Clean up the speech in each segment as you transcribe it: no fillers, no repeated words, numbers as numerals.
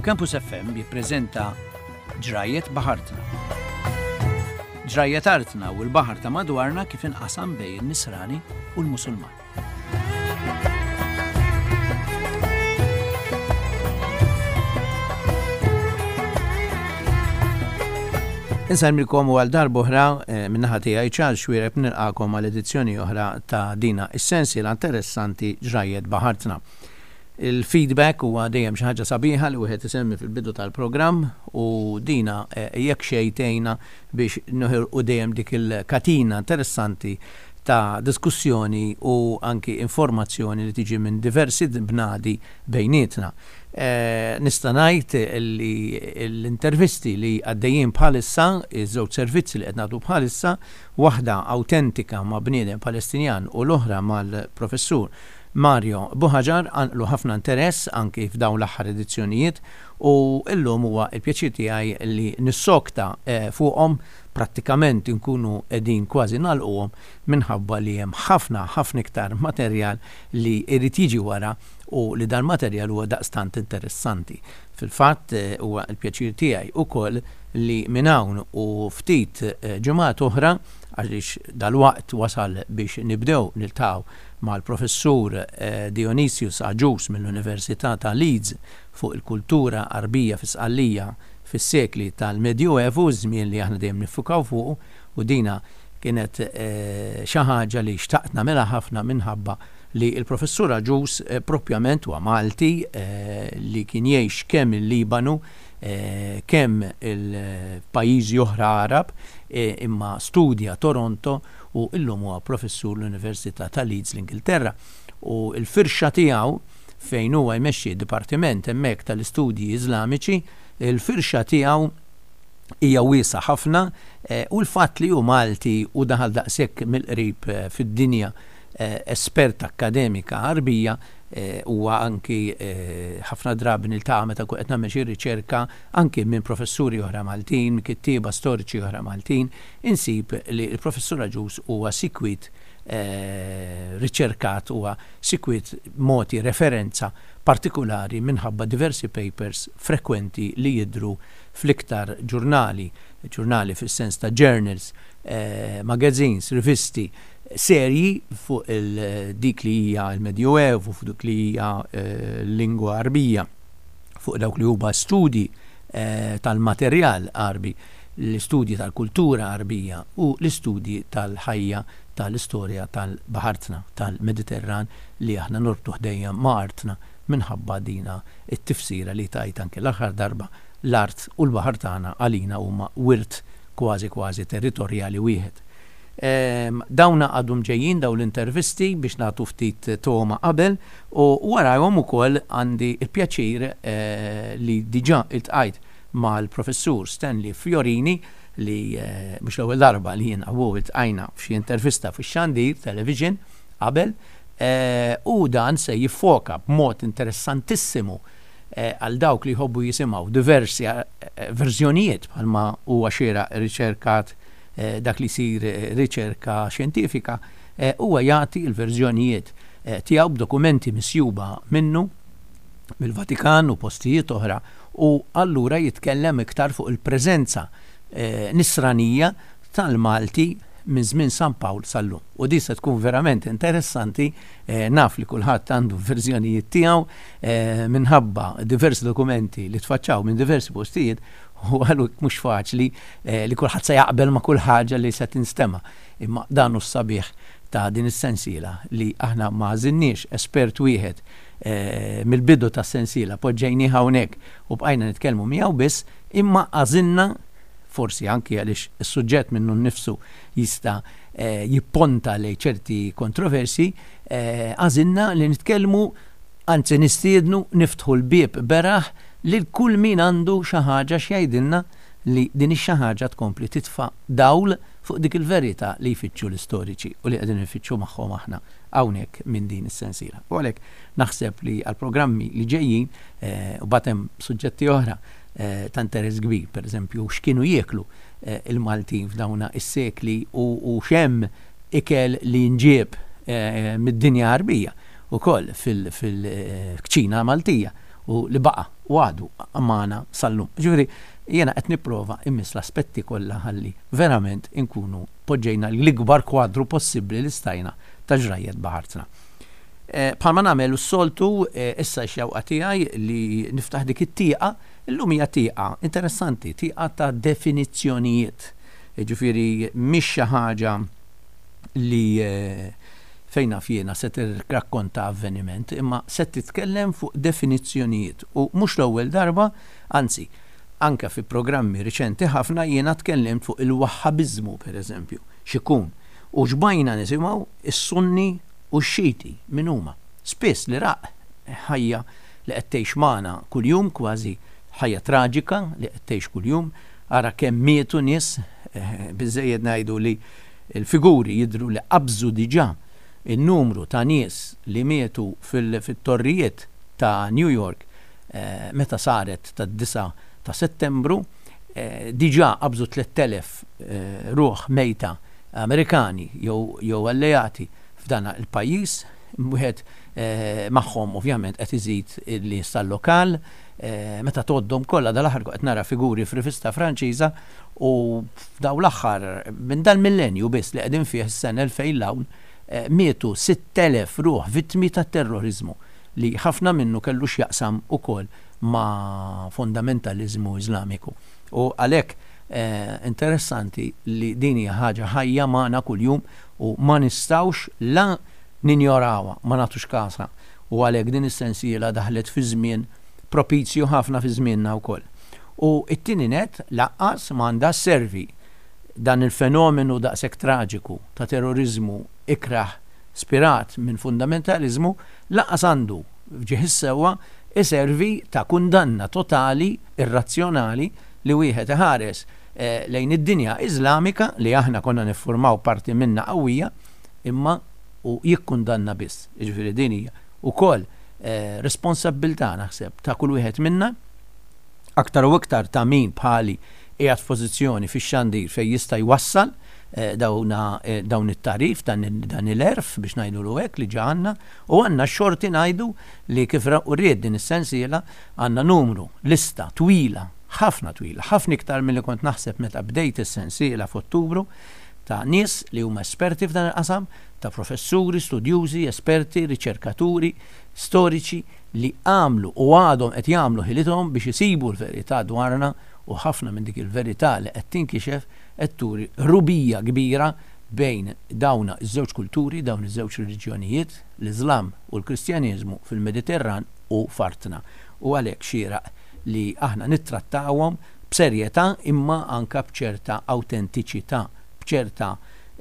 Campus FM jippreżenta Ġrajjet Baħartna. Ġrajjet artna u l-baħar ta' madwarna kif inqasam bejn in-Nisrani u l-Musulman. Insellmilkom u għal darb'oħra eh, min-naħa tiegħi Charles Xuereb nilqakom għal edizzjoni oħra ta' dina is-sensiela interessanti Ġrajjet Baħartna. Il-feedback huwa dejjem xi ħaġa sabiħa li wieħed isemmi fil-bidu tal-programm u dina eh, jekk xejn tgħinna biex noħirqu dejjem dik il-katina interessanti ta' diskussjoni u anki informazzjoni li tiġi minn diversi bnadi bejnietna. Nista' ngħid li l-intervisti li għaddejjin bħalissa, iż-żewġ servizzi li qed nagħtu bħalissa, waħda awtentika ma' bniedem Palestinjan u l-oħra mal-Professur Mario Buhagiar qanqlu ħafna interess anki f'dawn l-aħħar edizzjonijiet u llum huwa l-pjaċir tiegħi li nissokta fuqhom prattikament inkunu qegħdin kważi nagħlquhom minħabba li hemm ħafna, ħafna iktar materjal li jrid jiġi wara u li dan materjal huwa daqstant interessanti. Fil-fatt huwa l-pjaċir tiegħi ukoll li minn hawn u ftit ġimgħat oħra, għaliex dalwaqt wasal biex nibdew niltaqgħu mal-Professur Dionysius Agius mill-Università ta' Leeds fuq il-kultura Għarbija fi Sqallija fis-sekli tal-Medjuevu, żmien li aħna dejjem niffukaw fuqu, u dina kienet xi ħaġa li xtaqt nagħmilha ħafna minħabba li l-Professur Agius propjament huwa Malti li kien jgħix kemm il-Libanu, kemm il-pajjiżi oħra Għarab, imma studja Toronto u llum huwa professur l-Università ta' Leeds l-Ingilterra. U l-firxa tiegħu fejn huwa jmexxi d-dipartiment hemmhekk tal-istudji Iżlamiċi, il-firxa tiegħu hija wiesgħa ħafna u l-fatt li hu Malti u daħal daqshekk mill-qrib fid-dinja espert akkademika Għarbija huwa anki ħafna drabi niltaqa' meta nkun qed nagħmel xi riċerka anki minn professuri oħra Maltin, minn kittieba storiċi oħra Maltin, insib li l-Professur Agius huwa sikwit riċerkat, huwa sikwit mogħti referenza partikulari minħabba diversi papers frekwenti li jidhru fl-iktar ġurnali, ġurnali fis-sens ta' journals, magazines, rivisti, serji fuq dik li hija l-Medjuevu, fuq dik li hija l-lingwa Għarbija, fuq dawk li huma studji tal-materjal Għarbi, l-istudji tal-kultura Għarbija u l-istudji tal-ħajja tal-istorja tal-baħartna, tal-Mediterran li aħna norbtuh dejjem ma' artna minħabba dina t-tifsira li tajt anke l-aħħar darba, l-art u l-baħar tagħna għalina huma wirt kważi kważi territorjali wieħed. Dawna għadhom ġejjin dawn l-intervisti biex nagħtu ftit togħma qabel u warajhom ukoll għandi l-pjaċir li diġà iltqajt mal-Professur Stanley Fiorini li mhux l-ewwel darba li jiena u hu iltqajna f'xi intervista fix-xandir, television, qabel, u dan se jiffoka b'mod interessantissimu għal dawk li jħobbu jisimgħu diversi verżjonijiet bħalma huwa xieraq riċerkat dak li jsir riċerka xjentifika, huwa jagħti l-verżjonijiet tiegħu b'dokumenti misjuba minnu mill-Vatikan u postijiet oħra u allura jitkellem iktar fuq il-preżenza nisranija tal-Malti minn żmien San Pawl sal-lum. U din se tkun verament interessanti, naf li kulħadd għandu verżjonijiet tiegħu minħabba diversi dokumenti li tfaċċaw minn diversi postijiet u għalhekk mhux faċli li kulħadd se jaqbel ma' kull ħaġa li se tinstema'. Imma dan hu s-sabiħ ta' din is-sensiela li aħna ma għażilniex espert wieħed mill-bidu tas-sensiela poġġejnieh hawnhekk u bqajna nitkellmu miegħu biss, imma għażilna, forsi anki għaliex is-suġġett minnu nnifsu jista' jipponta lejn ċerti kontroversji, għażilna li nitkellmu, anzi nistiednu, niftħu l-bieb beraħ lil kull min għandu xi ħaġa x'jgħidilna li din ix-xi ħaġa tkompli titfa' dawl fuq dik il-verità li jfittxu l-istoriċi u li qegħdin infittxu magħhom aħna hawnhekk minn din is-sensiela. U għalhekk naħseb li għall-programmi li ġejjin, u mbagħad hemm suġġetti oħra ta' interess kbir, pereżempju x'kienu jieklu il-Maltin f'dawna is-sekli u x'hemm ikel li nġieb mid-dinja Għarbija ukoll fil-kċina Maltija u li baqa' u għadu magħna sal-lum. Ġifieri jiena qed nipprova immiss l-aspetti kollha ħalli verament inkunu poġġejna l-ikbar kwadru possibbli li stajna ta' ġrajjet baħartna. Eh, bħalma nagħmel s-soltu eh, issa x-xewqa tiegħi li niftaħ dik it-tieqa, illum hija tieqa interessanti, tieqa ta' definizzjonijiet. Ġifieri mhix xi ħaġa li eh, fejn naf jiena se tirrakkonta avveniment, imma se titkellem fuq definizzjonijiet u mhux l-ewwel darba, anzi, anke fi programmi riċenti ħafna jiena tkellimt fuq il-Wahhabiżmu pereżempju, x'ikun, u xbajna nisimgħu s-Sunni u x-Xiti min huma. Spiss l-Iraq ħajja li qed tgħix magħna kuljum kważi ħajja traġika li qed tgħix kuljum, ara kemm mietu nies, biżżejjed ngħidu li l-figuri jidhru li qabżu diġà n-numru ta' nies li mietu fit-torrijiet ta' New York meta saret tad-disgħa ta' Settembru, diġà qabżu 3,000 ruħ mejta Amerikani jew alleati f'dan il-pajjiż, wieħed magħhom ovvjament qed iżid il-nies tal-lokal, meta tgħoddhom kollha dal-aħħar kont qed nara figuri f'rivista Franċiża u f'dawn l-aħħar minn dal-millenju biss li qegħdin fih is-sena 2000 'l hawn mietu 6,000 ruħ vittmi tat-terroriżmu li ħafna minnu kellu x'jaqsam ukoll ma' fundamentaliżmu Iżlamiku. U għalhekk interessanti li din hija ħaġa ħajja magħna kuljum u ma nistgħux la ninjorawha, ma nagħtux kasha u għalhekk din is-sensiela daħlet fi żmien propizju ħafna fi żmienna wkoll. U t-tieni nett lanqas m'għandha sservi dan il-fenomenu daqshekk traġiku ta' terroriżmu ikrah spirat minn fundamentaliżmu lanqas għandu, f'ġieħ is-sewwa, iservi ta' kundanna totali, irrazzjonali, li wieħed iħares lejn id-dinja Iżlamika, li aħna konna niffurmaw parti minnha qawwija, imma u jikkundanna biss. Jiġifieri din hija wkoll responsabbiltà naħseb ta' kull wieħed minna, aktar u iktar ta' min bħali qiegħed f'pożizzjoni fix-xandir fejn jista' jwassal dawna dawn it-tagħrif, dan il-għerf biex ngħidulu hekk li ġa għandna u għandna x-xorti ngħidu li kif uriet din is-sensiela għandna numru, lista twila, ħafna twila, ħafna iktar milli kont naħseb meta bdejt is-sensiela f'Ottubru, ta' nies li huma esperti f'dan il-qasam, ta' professuri, studjużi, esperti, riċerkaturi, storiċi li għamlu u għadhom qed jagħmlu ħilithom biex isibu l-verità dwarna u ħafna minn dik il-verità li qed tinkixef qed turi qrubija kbira bejn dawn iż-żewġ kulturi, dawn iż-żewġ reliġjonijiet, l-Iżlam u l-Kristjaneżmu fil-Mediterran u f'artna. U għalhekk xieraq li aħna nittrattawhom b'serjetà imma anke b'ċerta awtentiċità, b'ċerta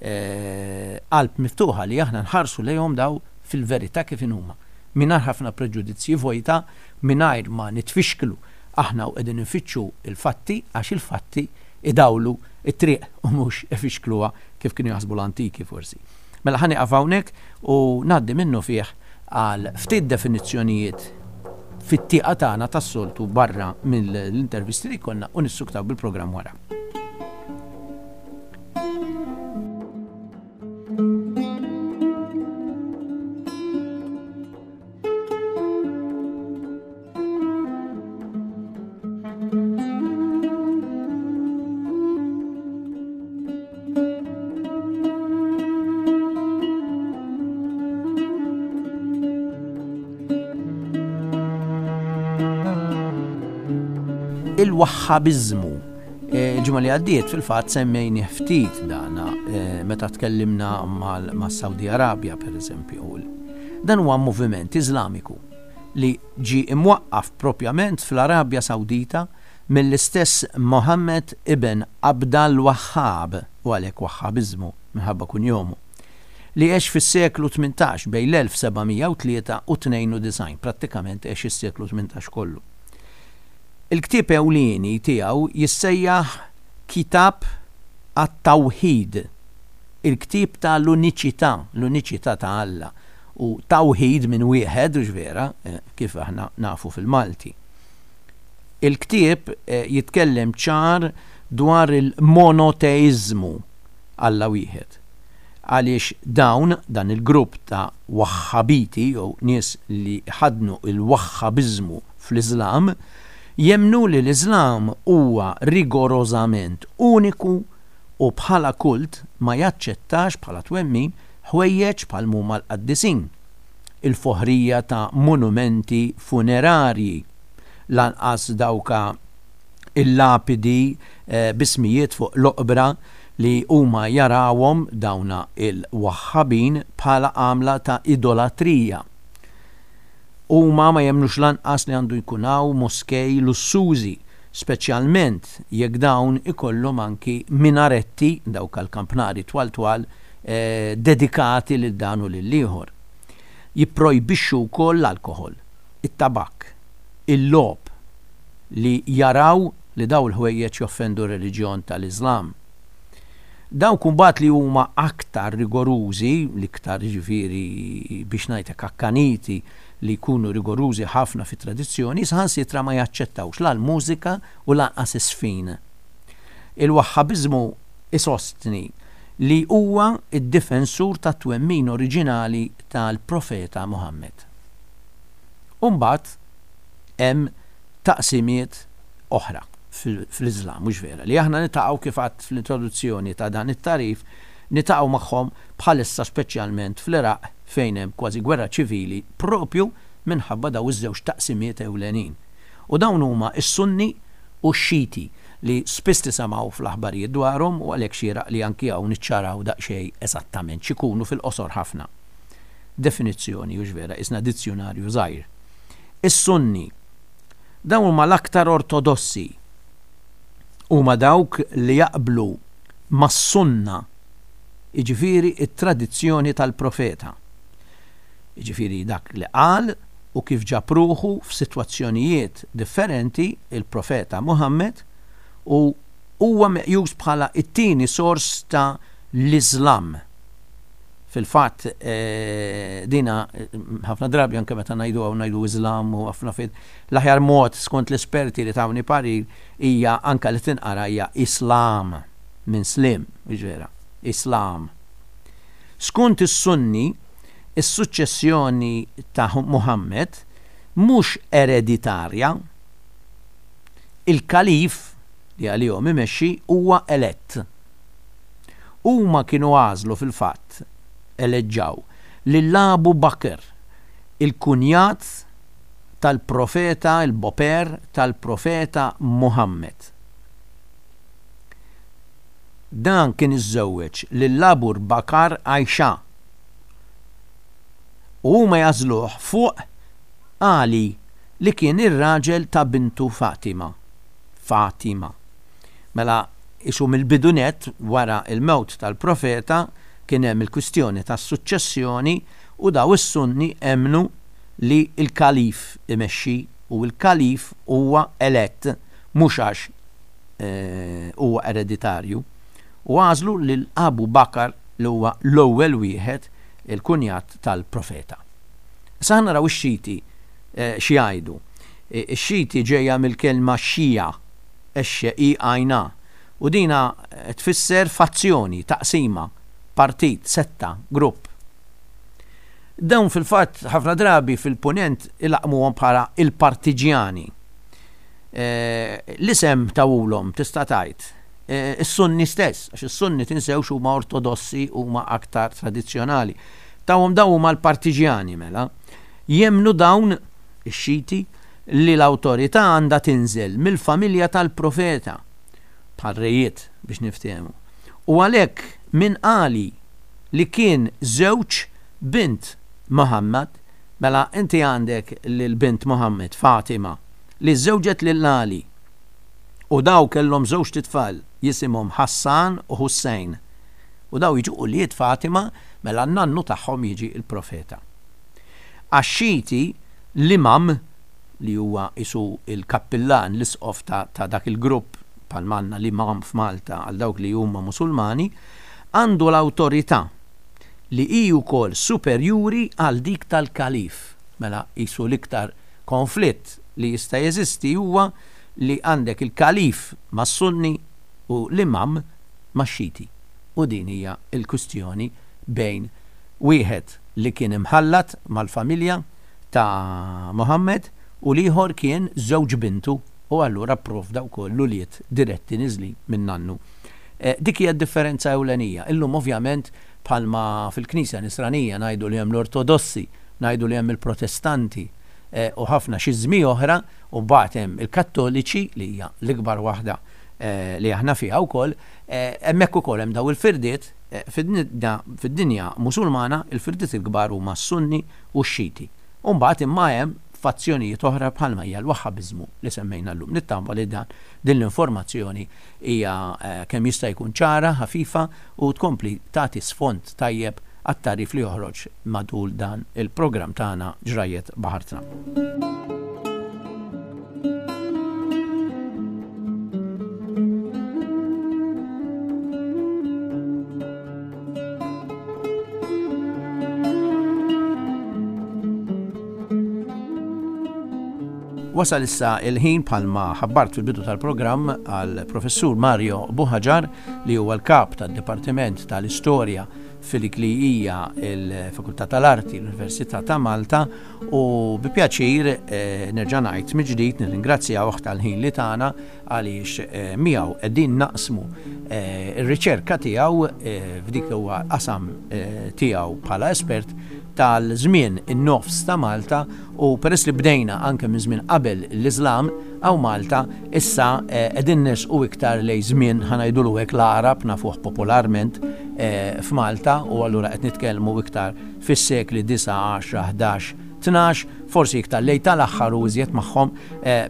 qalb miftuħa li aħna nħarsu lejhom daw fil-verità kif inhuma, mingħajr ħafna preġudizzji vojta, mingħajr ma nitfixklu aħna u qegħdin infittxu l-fatti għax il-fatti idawlu t-triq u mhux ifixkluha kif kienu jaħsbu l-antiki forsi. Mela ħa nieqaf hawnhekk u ngħaddi minnufih għal ftit definizzjonijiet fit-tieqa tagħna tas-soltu barra mill-intervisti li jkollna u nissuktaw bil-programm wara. Il-Wahhabiżmu. Eh, il-ġimgħa li għaddiet fil-fatt semmejni ftit dana eh, meta tkellimna mas-Saudi Arabja pereżempju. Dan huwa moviment Iżlamiku li ġie imwaqqaf propjament fl-Arabja Sawdita mill-istess Mohammed ibn Abd al-Wahhab, u għalhekk Wahhabiżmu minħabba kunjomu, li għex fis-seklu 18 bejn l-1703 u 92, prattikament għex is-seklu 18 kollu. Il-ktieb ewlieni tiegħu jissejjaħ Kitab at-Tawhid, il-ktieb ta' l-uniċità, l-uniċità ta' Alla, u tawhid minn wieħed, hux vera, kif aħna nafu fil-Malti. Il-ktieb jitkellem ċar dwar il-monoteiżmu, Alla wieħed. Għaliex dawn, dan il-grupp ta' Wahhabiti jew nies li jħaddnu l-Wahhabiżmu fl-Iżlam, Jemmnu li l-Iżlam huwa rigorożament uniku u bħala kult ma jaċċettax bħala twemmin ħwejjeġ bħal m'huma l-qaddisin, il-foħrija ta' monumenti funerarji, lanqas dawka il-lapidi b'ismijiet fuq l-oqbra li huma jarawhom dawna il-Waħħabin bħala għamla ta' idolatrija. Huma ma jemmnux lanqas li għandu jkun hawn moskej lussużi, speċjalment jekk dawn ikollhom anki minaretti, dawk għall-kampnari twal twal, dedikati lil dan u lill-ieħor. Jipprojbixxu wkoll l-alkoħol, it-tabakk, il-logħob, li jaraw li dawn il-ħwejjeġ joffendu r-reliġjon tal-Iżlam. Dawk imbagħad li huma aktar rigorużi, l-iktar jiġifieri biex ngħid hekk akkaniti li jkunu rigorużi ħafna fit-tradizzjoni, saħansitra ma jaċċettawx la l-mużika u lanqas iż-żfin. Il-Waħħabiżmu isostni li huwa d-difensur tat-twemmin oriġinali tal-Profeta Muħammed. U mbagħad hemm taqsimiet oħra fl-Iżlam, mhux vera, li aħna niltaqgħu kif għadt fl-introduzzjoni ta' dan it-tagħrif, niltaqgħu magħhom bħalissa speċjalment fl-Iraq fejn hemm kważi gwerra ċivili propju minħabba dawn iż-żewġ taqsimiet ewlenin. U dawn huma s-Sunni u x-Xiti li spiss tisimgħu fl-aħbarijiet dwarhom u għalhekk xieraq li anki hawn niċċaraw daqsxejn eżattament x'ikunu fil-qosor ħafna. Definizzjoni, hux vera, qisna dizzjunarju żgħir. Is-Sunni Dawn huma l-aktar ortodossi. Huma dawk li jaqblu mas-Sunna, jiġifieri t-tradizzjoni tal-Profeta. Jiġifieri dak li qal u kif ġab ruħu f'sitwazzjonijiet differenti l-Profeta Muhammad u huwa meqjus bħala t-tieni sors ta' l-Iżlam. Fil-fatt, dina ħafna drabi anke meta ngħidu hawn ngħidu Iżlam u ħafna fejn l-aħjar mod skont l-esperti li tawni parir hija anke li tinqara hija Islam minn slim, mhux vera, Islam. Skont is-Sunni, is-suċċessjoni ta' Muhammad mhux ereditarja. Il-kalif li għalihom imexxi huwa elett. Huma kienu għażlu fil-fatt, eleġġaw, lil Abu Bakr, il-kunjat tal-Profeta, il-boper tal-Profeta Muhammad. Dan kien iżżewweġ lil Abu Bakar Aisha. U huma jagħżluh fuq Ali li kien ir-raġel ta' bintu Fatima. Fatima. Mela Qisu mill-bidu nett wara l-mewt tal-Profeta kien hemm il-kwistjoni tas-suċċessjoni u daw is-Sunni emmnu li l-Kalif imexxi u l-Kalif huwa elett mhux għax huwa ereditarju u għażlu lil Abu Bakr li huwa l-ewwel wieħed il-kunjat tal-Profeta. Issa ħa naraw ix-Xiti x'jgħidu. Ix-Xiti ġejja mill-kelma Xija X-I-A, u dina tfisser fazzjoni, taqsima, partit, setta, grupp. Dawn fil-fatt ħafna drabi fil-Punent ilaqqmuhom bħala il-partiġjani. L-isem tawulhom tista' tgħid is-Sunni stess, għax is-Sunni tinsewx huma ortodossi huma aktar tradizzjonali. Tawhom dawn huma l-partiġjani mela. Jemmnu dawn ix-Xiti li l-awtorità għandha tinżel mill-familja tal-Profeta, bħal rejiet biex niftehmu, u għalhekk minn Ali li kien żewġ bint Muhammad, mela inti għandek lil bint Muhammad, Fatima, li żżewġet lil Ali, u daw kellhom żewġt itfal jisimhom Hassan u Hussein, u daw jiġu ulied Fatima, mela n-nannu tagħhom jiġi l-Profeta. Għax-Xiti, l-Imam, li huwa qisu l-kappillan, l-isqof ta' ta' dak il-grupp, bħalma għandna l-Imam f'Malta għal dawk li huma Musulmani, għandu l-awtorità li hi wkoll superjuri għal dik tal-Kalif. Mela qisu l-iktar konflitt li jista' jeżisti huwa li għandek il-Kalif mas-Sunni u l-Imam max-Xiti. U din hija l-kwistjoni bejn wieħed li kien imħallat mal-familja ta' Muhammad u l-ieħor kien żewġ bintu. U allura pprovda wkoll l-ulied diretti niżlin min-nannu. Dik hija d-differenza ewlenija. Illum ovvjament bħalma fil-Knisja Nisranija ngħidu li hemm l-Ortodossi, ngħidu li hemm il-Protestanti u ħafna xiżmi oħra, u mbagħad hemm il-Kattoliċi li hija l-ikbar waħda li aħna fiha wkoll, hemmhekk ukoll hemm dawn il-firdiet, fid-dinja Musulmana il-firdiet il-kbar huma s-Sunni u x-Xiti. U mbagħad imma hemm fazzjonijiet oħra bħalma hija l-Wahhabiżmu li semmejna llum. Nittama li dan din l-informazzjoni hija kemm jista' jkun ċara, ħafifa u tkompli tagħti sfond tajjeb għat-tagħrif li joħroġ matul dan il-programm tagħna Ġrajjet Baħartna. Wasal issa il-ħin bħalma ħabbart fil-bidu tal-programm għal professur Mario Buhaġar li huwa l-kap tad-Dipartiment tal-Istorja fil-dik li hija l-Fakultà tal-Arti l-Università ta' Malta u bi pjaċir eh, nerġa' ngħid mill-ġdid nirringrazzjawh tal-ħin li tagħna għaliex eh, miegħu qegħdin naqsmu eh, r-riċerka tiegħu f'dik huwa qasam tiegħu bħala espert tal-żmien in-nofs ta' Malta u peress li bdejna anke minn żmien qabel l-Iżlam hawn Malta issa qegħdin nersqu iktar lejn żmien ħa ngħidulu hekk l-Għarab nafuh popolarment f'Malta u allura qed nitkellmu iktar fis-sekli 9, 10, 11, 12, forsi iktar lejn tal-aħħar u iżjed magħhom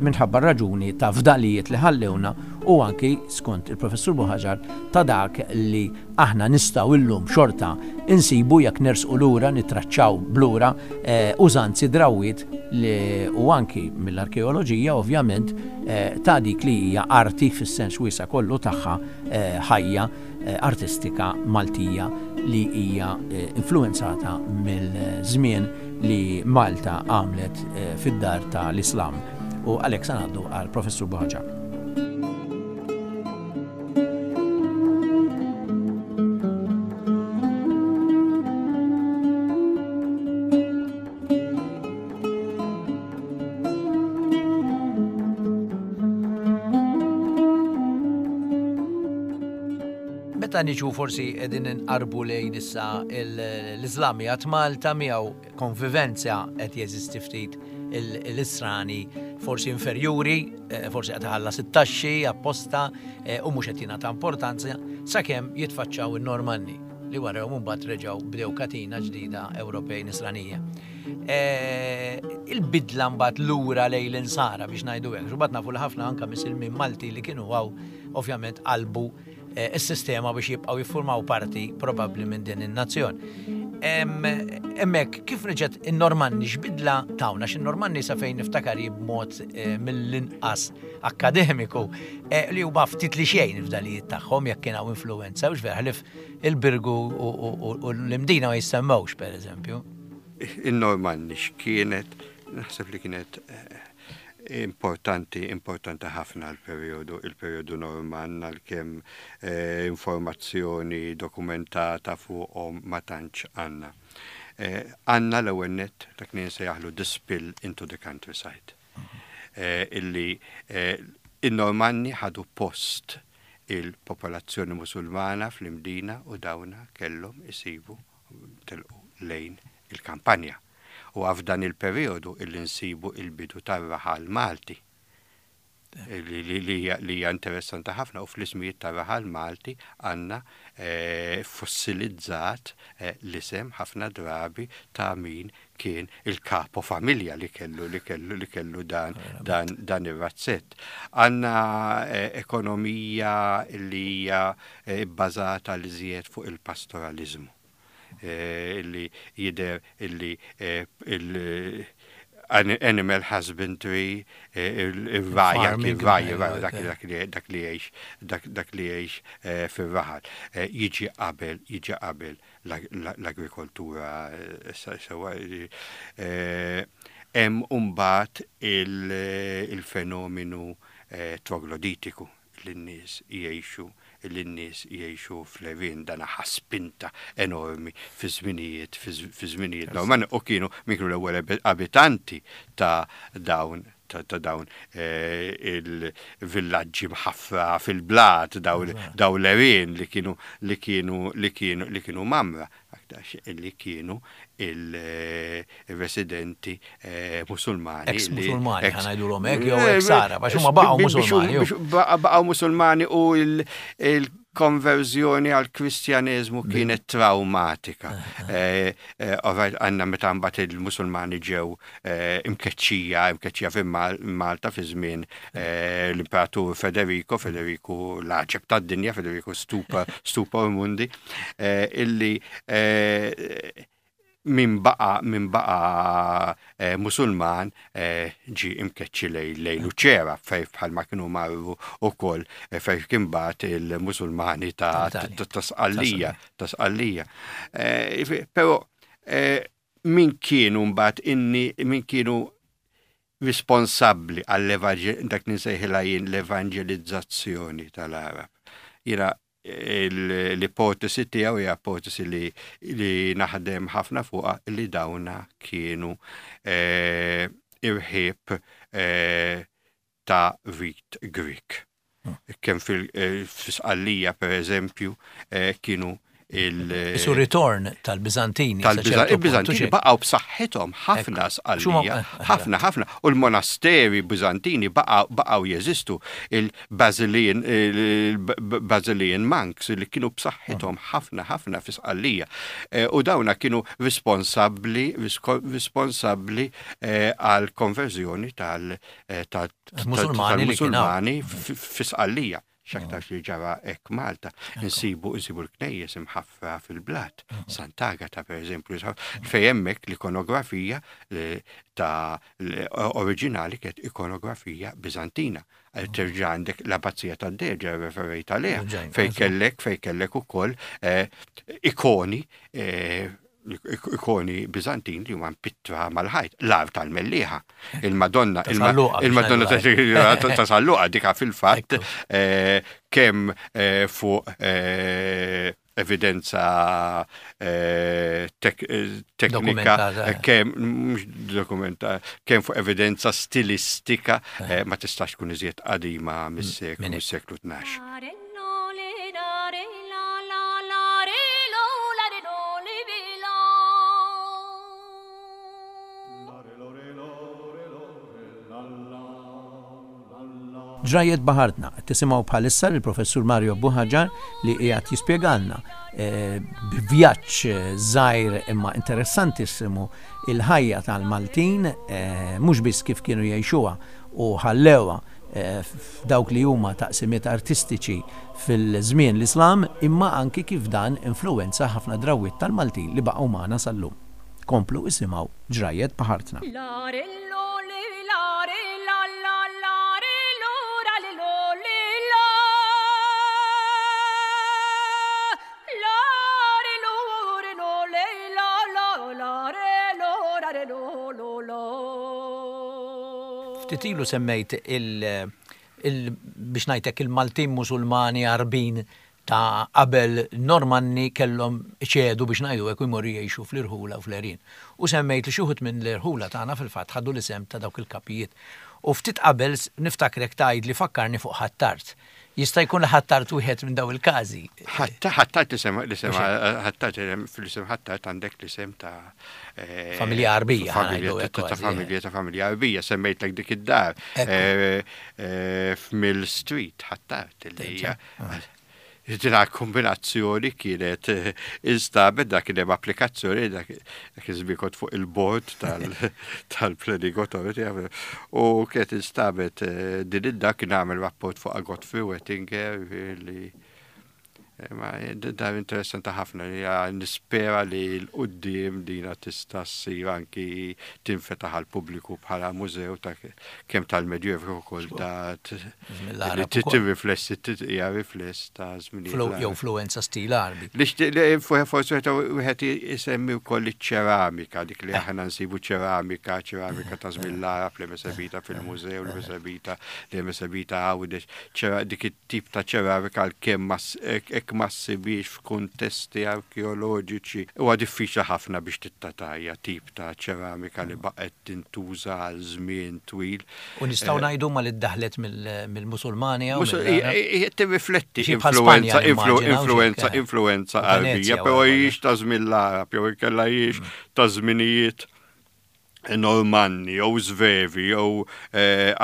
minħabba r-raġuni ta' fdalijiet li ħallewna u anki skont il-Professur Buhaġar ta' dak li aħna nistgħu illum xorta insibu jekk nersqu lura nittraċċaw b'lura użanzi drawwiet li u anki mill-arkeoloġija ovvjament ta' dik li hija arti fis-sens wiesa' kollu tagħha ħajja artistika Maltija li hija influwenzata mill-żmien li Malta għamlet fid-dar ta' l-Islam. U għalhekk se ngħaddu għal Professur Buhaġar. Meta niġu forsi qegħdin inqarbu lejn issa l-Iżlam jgħat Malta miegħu konvivenza qed jeżisti ftit l-Israni forsi inferjuri, eh, forsi qed iħallas it-taxxi apposta eh, u mhux qed jingħata importanza sakemm jitfaċċaw in-Normanni li warahom imbagħad reġgħu bdew katina ġdida Ewropej Nisranija. Eh, il-bidla mbagħad lura lejn l-insara biex ngħidu hekk, mbagħad nafu li ħafna anke misilmin Malti li kienu għaw ovvjament qalbu eh, is-sistema biex jibqgħu jiffurmaw parti probabbli minn din in-nazzjon. Hemmhekk kif reġgħet in-Normanni x'bidla tawna x'in-Normanni sa fejn niftakar b'mod eh, mill-inqas akkademiku eh, li huma ftit li xejn f'dalijiet tagħhom jekk kien hawn influenza u ħlif il-Birgu u l-Imdina ma jissemmewx pereżempju. In-Normanni x'kienet naħseb li kienet importanti, importanti ħafna l-perjodu, il-perjodu Normann għalkemm eh, informazzjoni dokumentata fuqhom ma tantx għandna. Eh, għandna l-ewwel nett dak li nsejjaħlu the spill into the countryside. Eh, illi in-Normanni ħadu post il-popolazzjoni Musulmana fl-Imdina u dawna kellhom isibu telqu lejn il-kampanja. Huwa f'dan il-perijodu illi nsibu il-bidu tar-raħal Malti, li hija interessanti ħafna u fl-ismijiet tar-raħal Malti għandna fossilizzat l-isem ħafna drabi ta' min kien il-kapo familja li kellu li kellu li kellu dan dan dan ir-razzett. Għandna ekonomija li hija bbażata l-iżjed fuq il-pastoraliżmu. Illi jidher illi il-animal husbandry, ir-ragħaj, ir-ragħaj, dak li jgħix, dak li jgħix fir-raħal, jiġi qabel, jiġi qabel l-agrikoltura sewwa. Hemm imbagħad il-fenomenu trogloditiku. li n-nies jgħixu li n-nies jgħixu fl-għerien dan ħa spinta enormi fi żminijiet fi żminijiet Normanni u kienu min kienu l-ewwel abitanti ta' dawn ta' dawn il-villaġġi mħaffra fil-blat, dawn l-għerien li kienu li kienu li kienu li kienu mgħammra, aktarx li kienu il-residenti Musulmani. Ex-Musulmani, ħa ngħidulhom hekk, jew ex-Arab, għax huma baqgħu Musulmani. Baqgħu Musulmani u l-konverżjoni għall-Kristjaneżmu kienet trawmatika. Għandna meta mbagħad il-Musulmani ġew imkeċċija, imkeċċija fi Malta fi żmien l-Imperatur Federico, Federico l-għaġeb tad-dinja, Federico Stupa, Stupa Mundi, illi min baqa min baqa Musulman ġi imkeċċi lej lej Luċera fej bħalma kienu marru ukoll fej kien bagħat il-Musulmani ta' Sqallija, ta' Sqallija. Però min kienu mbagħad inni min kienu responsabbli għall dak li nsejħilha jien l-evanġelizzazzjoni tal-Arab. Jiena l-ipotesi tiegħu hija ipotesi li, li naħdem ħafna fuqha li dawna kienu eh, irħib eh, ta' rit Grieg. Kemm fil-Sqallija, per eżempju, kienu il- Isu ritorn tal-Biżantini. Tal-Biżantini baqgħu b'saħħithom ħafna Sqallija, ħafna ħafna. U l-monasteri Biżantini baqgħu jeżistu il-Basilian il-Basilian monks li kienu b'saħħithom ħafna ħafna fi Sqallija. U dawna kienu responsabbli responsabbli għal konverżjoni tal- tal-Musulmani fi Sqallija. X'aktarx li ġara hekk Malta. Insibu insibu l-knejjes imħaffra fil-blat. Sant'Agata pereżempju, fejn hemmhekk l-ikonografija ta' oriġinali kienet ikonografija Biżantina. Terġa' għandek l-Abbazija tad-Deġa referejt għaliha, fejn kellek fejn kellek ukoll ikoni ikoni Bizantin li huma mpittra mal-ħajt, l-ar tal-Mellieħa, il-Madonna, il-Madonna ta' Salluqa dika fil-fatt eh, kemm eh, fuq eh, evidenza teknika, kemm mhux dokumenta, kemm fuq evidenza stilistika ma tistax tkun iżjed qadima mis-seklu 12. Ġrajjiet Baħartna, qed tisimgħu bħalissa lill-Professur Mario Buhaġar li qiegħed jispjegalna eh, b'vjaġġ eh, żgħir imma interessantissimu il-ħajja tal-Maltin eh, mhux biss kif kienu jgħixuha u ħallewha f'dawk li huma taqsimiet artistiċi fil-żmien l-Islam imma anki kif dan influwenza ħafna drawwiet tal-Maltin li baqgħu magħna sal-lum. Komplu isimgħu Ġrajjet Baħartna. Ftit ilu semmejt il, il biex ngħid hekk il-Maltin Musulmani Għarbin ta' qabel Normanni kellhom iċedu biex ngħidu hekk u jmorru jgħixu fl-irħula u fl-għerien. U semmejt li xi wħud minn l-irħula tagħna fil-fatt ħadu l-isem ta' dawk il-kapijiet. U ftit qabel niftakrek tgħidli fakkarni fuq Ħ'Attard. Jista' jkun li Ħ'Attard wieħed minn dawn il-każi. Ħ'Attard l-isem, l-isem, Ħ'Attard, fl-isem Ħ'Attard għandek l-isem ta' Familja Għarbija. Ta' familja, ta' familja Għarbija, semmejtlek dik id-dar. F'Mill Street, Ħ'Attard, li hija Dina kombinazzjoni kienet eh, instabet dak kien hemm applikazzjoni dak iż-żmien kont fuq il-bord tal-Planning Authority u kienet instabet eh, din id-dak kien għamel rapport fuq Godfrey Wettinger li Ma dar interessanti ħafna li nispera li l-qudiem dina tista' ssir anki tinfetaħ għall-pubbliku bħala mużew ta' kemm tal-Medjuevu kif ukoll ta' li tirriflessi hija rifless ta' żminijiet. Jew fluwenza stil Għarbi. Forsi wieħed isemmi wkoll iċ-ċeramika, dik li aħna nsibu ċeramika, ċeramika ta' żmien l-Għarab li hemm esebita fil-mużew, li hemm esebita li hemm esebita Għawdex, dik it-tip ta' ċeramika għalkemm ma hekk jekk ma ssibhiex f'kuntesti arkeoloġiċi, huwa diffiċli ħafna biex tittatajja tip ta' ċeramika li baqgħet tintuża għal żmien twil. U nistgħu ngħidu ma li ddaħlet mill-Musulmani hawn? Tirrifletti influwenza influwenza influwenza Għarbija, però hijiex ta' żmien l-Għarab jew inkella hijiex ta' żminijiet Normanni jew Svevi jew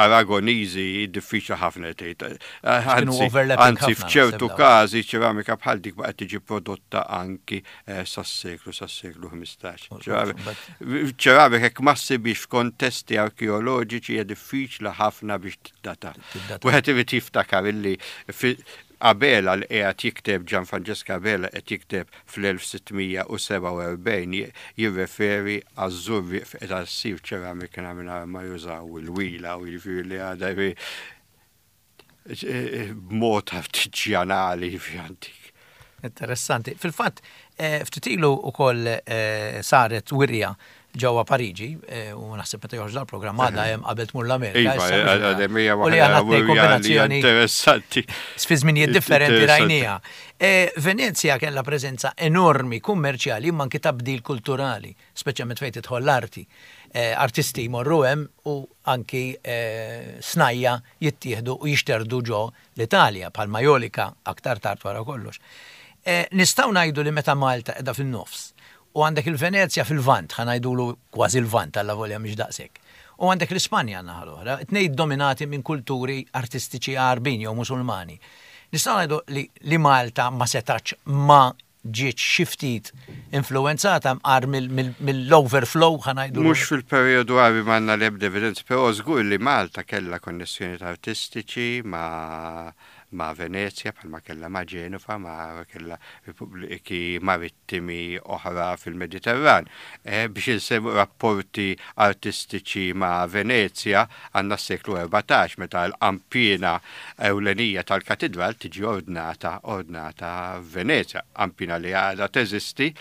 Aragoniżi diffiċli ħafna li tgħid. Anzi, f'ċertu każi ċeramika bħal dik baqgħet tiġi prodotta anki sas-seklu sas-seklu 15. Ċeramika hekk ma ssibhiex f'kontesti arkeoloġiċi hija diffiċli ħafna biex tiddata. Wieħed irid jiftakar illi Abela li qiegħed jikteb Gian Francesco Abela qed jikteb fl-1647 jirreferi għaż-Żurrieq fejn qiegħda ssir ċeramika mingħajr ma jużaw il-wila u jiġifieri li għadha b'mod artiġjanali jiġifieri antik. Interessanti. Fil-fatt, ftit ilu wkoll saret wirja ġewwa Pariġi, u naħseb meta joħroġ dal-programm għadha hemm qabel tmur l-Amerika. Iva, għadha hemm hija waħda u li għandna kombinazzjoni interessanti. Fi żminijiet differenti rajniha. Venezja kellha preżenza enormi kummerċjali imma anki ta' bdil kulturali, speċjalment fejn tidħol l-arti. Artisti jmorru hemm u anki snajja' jittieħdu u jixterdu ġo l-Italja, bħal Majolika aktar tard wara kollox. Nistgħu ngħidu li meta Malta qiegħda fin-nofs u għandek il-Venezja fil-Lvant, ħa ngħidulu kważi l-Lvant allavolja mhix daqshekk, u għandek l-Ispanja n-naħa l-oħra, it-tnejn iddominati minn kulturi artistiċi Għarbin jew Musulmani. Nistgħu ngħidu li li Malta ma setgħetx ma ġietx xi ftit influwenzata mqar mill-overflow, ħa ngħidulu. Mhux fil-perjodu Għarbi m'għandna l-ebda evidenza, però żgur li Malta kellha konnessjonijiet artistiċi ma' ma' Venezja bħalma kellha ma' Ġenova, ma' kellha repubbliki marittimi oħra fil-Mediterran. Biex insemmu rapporti artistiċi ma' Venezja għandna s-seklu 14 meta l-qanpiena ewlenija tal-katidral tiġi ordnata ordnata f'Venezja, qanpiena li għadha teżisti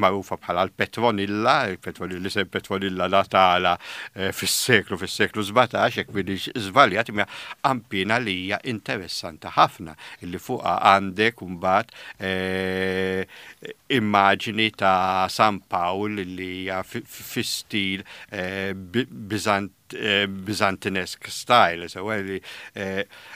magħrufa bħala l-Petronilla, l-isem Petronilla ngħatalha fis-seklu fis-seklu 17 jekk m'iniex żbaljat, imma qanpiena li hija interessanti ħafna illi fuqha għandek imbagħad immaġni ta' San Pawl li hija fi stil Biżant Byzantinesque style, sewa li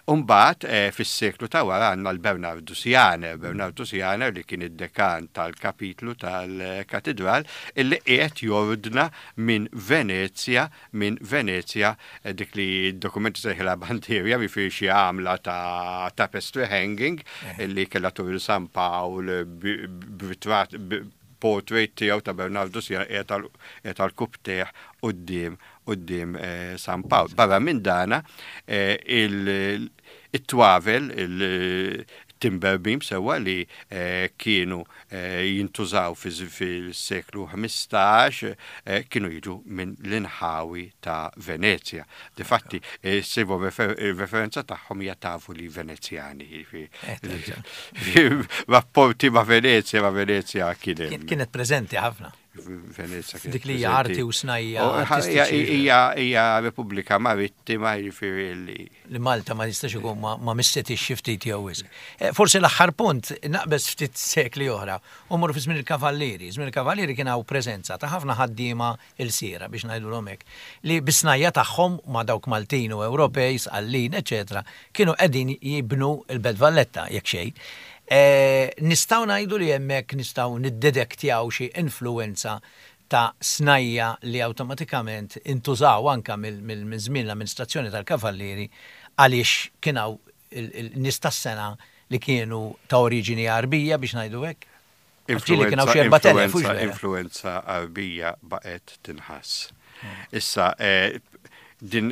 Umbagħad fis-seklu ta' wara għandna l-Bernardus Janer, Bernardus Janer li kien id-dekan tal-kapitlu tal-katidral illi qiegħed jordna minn Venezja, minn Venezja dik li d-dokumenti sejħilha bandierja, jiġifieri xi għamla ta' tapestry hanging illi kellha turi San Pawl b'ritratt portrait tiegħu ta' Bernardu Sierra qiegħed għal kubtejh quddiem quddiem San Pawl. Barra minn dana it-twavel, il-timber beam sewwa li kienu jintużaw fis-seklu 15 kienu jiġu minn l-inħawi ta' Venezja. Difatti, issibu referenza tagħhom hija tavoli Venezjani. Rapporti ma' Venezja, ma' Venezja kien hemm. Kienet preżenti ħafna. Venezja kienet. Dik li hija arti u snajja. Hija hija Repubblika Marittima jiġifieri li. Li Malta ma jistax ikun ma missetix xi ftit jew wisq. Forsi l-aħħar punt naqbeż ftit sekli oħra u mmorru fi żmien il-Kavallieri. Żmien il-Kavallieri kien hawn preżenza ta' ħafna ħaddiema ilsiera, biex ngħidulhom hekk, li bis-snajja' tagħhom ma' dawk Maltin u Ewropej, Sqallin, eċċetera, kienu qegħdin jibnu l-Belt Valletta, jekk xejn. Nistgħu ngħidu li hemmhekk nistgħu niddedektjaw xi influwenza ta' snajja' li awtomatikament intużaw anke minn żmien l-amministrazzjoni tal-Kavallieri għaliex kien hawn il-nies tas-sengħa li kienu ta' oriġini Għarbija, biex ngħidu hekk? Influenza, influenza Għarbija baqgħet tinħass. Issa, eh, din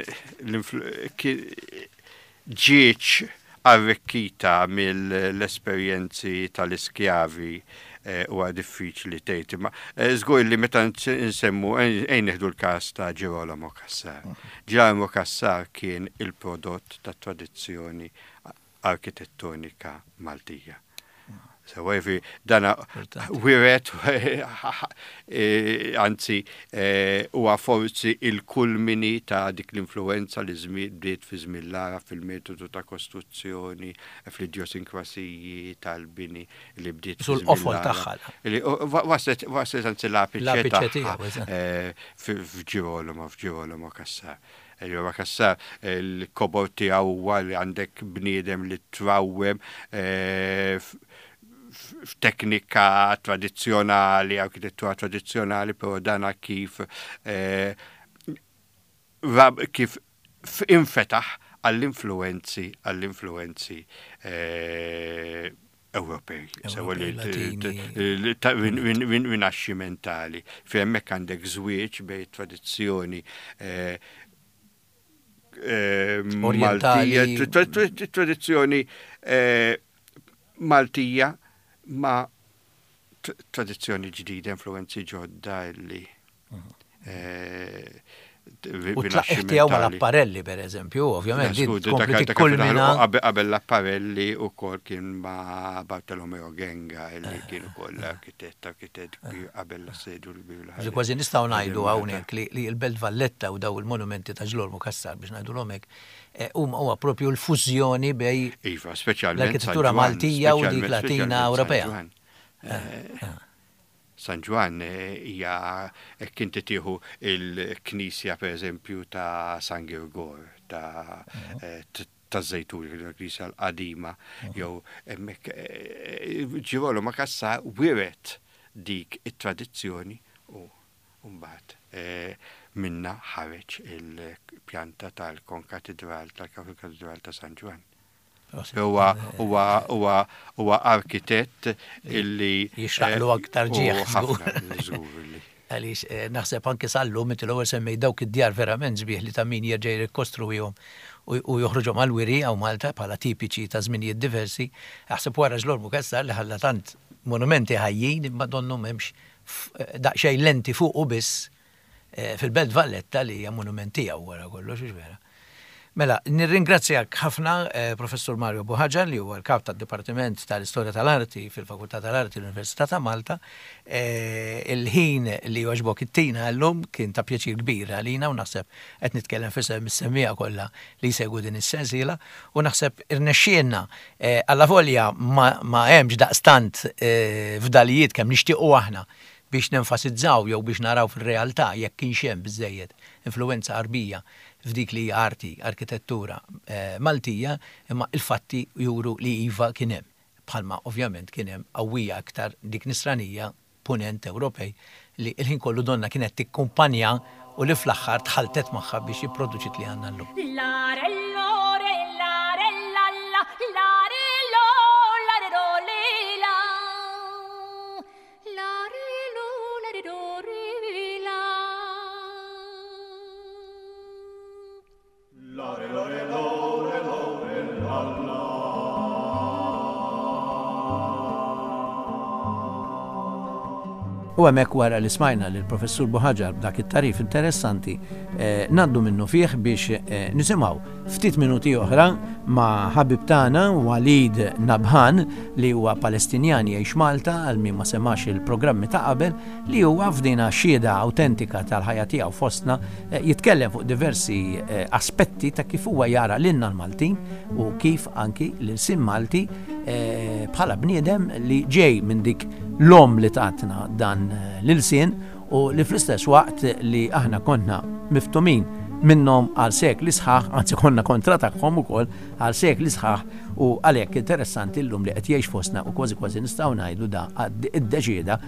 ġieċ arrikkita mill-esperjenzi tal-iskjavi eh, huwa diffiċli tgħid. Imma eh, żgur li meta nsemmu ejn nieħdu l-każ ta' Girolamo Cassar. Girolamo Cassar kien il-prodott tat-tradizzjoni arkitettonika Maltija. Sewa jiġifieri dana wiret anzi huwa forsi il-kulmini ta' dik l-influenza li bdiet fi żmien l-Għarab fil-metodu ta' kostruzzjoni, fl-idjosinkrasiji tal-bini li bdiet fi żmien l-qofol tagħha. Waslet waslet anzi l-apiċe tagħha f'Ġirolamo, f'Ġirolamo Cassar. Ġirolamo Cassar il-kobor tiegħu huwa li għandek bniedem li trawwem f'teknika tradizzjonali, arkitettura tradizzjonali, però dana kif kif infetaħ għall-influenzi għall-influenzi Ewropej, sewa li rinaxximentali. Fi hemmhekk għandek żwieġ bejn tradizzjoni Maltija, tradizzjoni Maltija ma' tradizzjoni ġdida, influenzi ġodda illi U t-tlaqqigħ tiegħu mal-apparelli, per eżempju, ovvjament, din tkompli tikkulmina. Qabel l-apparelli wkoll kien ma' Bartolomeo Genga illi kien ukoll arkitett, arkitett kbir qabel l-assedju l-kbir. Ġi kważi nistgħu ngħidu hawnhekk li l-Belt Valletta u daw il-monumenti ta' Ġlormu Cassar biex ngħidulhom hekk, huma huwa propju l-fużjoni bej Iva, speċjalment l-arkitettura Maltija u dik Latina Ewropea. San Ġwann hija hekk inti tieħu l-knisja pereżempju ta' San Girgor ta' taż-Żejtun, il-knisja l-qadima, jew hemmhekk Ġirolamo Cassar wiret dik it-tradizzjoni u mbagħad minnha ħareġ il-pjanta tal-Konkatidral, tal-Katidral ta' San Ġwann. Huwa huwa huwa huwa arkitett illi jixraqlu aktar ġieħ. Żgur li. Għaliex eh, naħseb anke sal-lum inti l-ewwel semmej dawk id-djar verament sbieħ li ta' min jerġa' jirrikostruwihom u joħroġhom għall-wiri hawn Malta bħala tipiċi ta' żminijiet diversi. Aħseb wara Ġlormu Cassar li ħalla tant monumenti ħajjin imma donnu m'hemmx eh, daqsxejn lenti fuqu biss fil-Belt Valletta li hija monument tiegħu wara kollox, hux vera? Mela, nirringrazzjak ħafna Professur Mario Buhaġar li huwa l-Kap tad-Dipartiment tal-Istorja tal-Arti fil-Fakultà tal-Arti l-Università ta' Malta. Il-ħin li għoġbok ittina llum kien ta' pjaċir kbir għalina u naħseb qed nitkellem f'isem is-semmiegħa kollha li jsegwu din is-sensiela u naħseb irnexxielna allavolja ma hemmx daqstant fdalijiet kemm nixtiequ aħna biex nenfasizzaw jew biex naraw fir-realtà jekk kienx hemm biżżejjed influwenza Għarbija f'dik li hija arti, arkitettura, Maltija, imma il-fatti juru li iva kien hemm, bħalma ovvjament kien hemm qawwija iktar dik Nisranija, Punent Ewropej, li l-ħin kollu donnha kienet tikkumpanja u li fl-aħħar tħalltet magħha biex ipproduċiet li għandna llum. U hemmhekk wara li smajna lil Professur Buhaġar b'dak it-tagħrif interessanti, eh, ngħaddu minnu fih biex eh, nisimgħu Ftit minuti oħra ma' ħabib tagħna Walid Nabhan li huwa Palestinjan jgħix Malta għal min ma semax il-programmi ta' qabel li huwa f'dina xhieda awtentika tal-ħajja tiegħu fostna eh, jitkellem fuq diversi eh, aspetti ta' kif huwa jara lilna l-Maltin u kif anki l-ilsien Malti eh, bħala bniedem li ġej minn dik l-om li tatna dan l-ilsien u li fl-istess waqt li aħna konna miftumin minnhom għal sekli sħaħ, anzi konna kontra tagħhom ukoll għal sekli sħaħ u għalhekk interessanti llum li qed jgħix fostna u kważi kważi nistgħu ngħidu da iddeċieda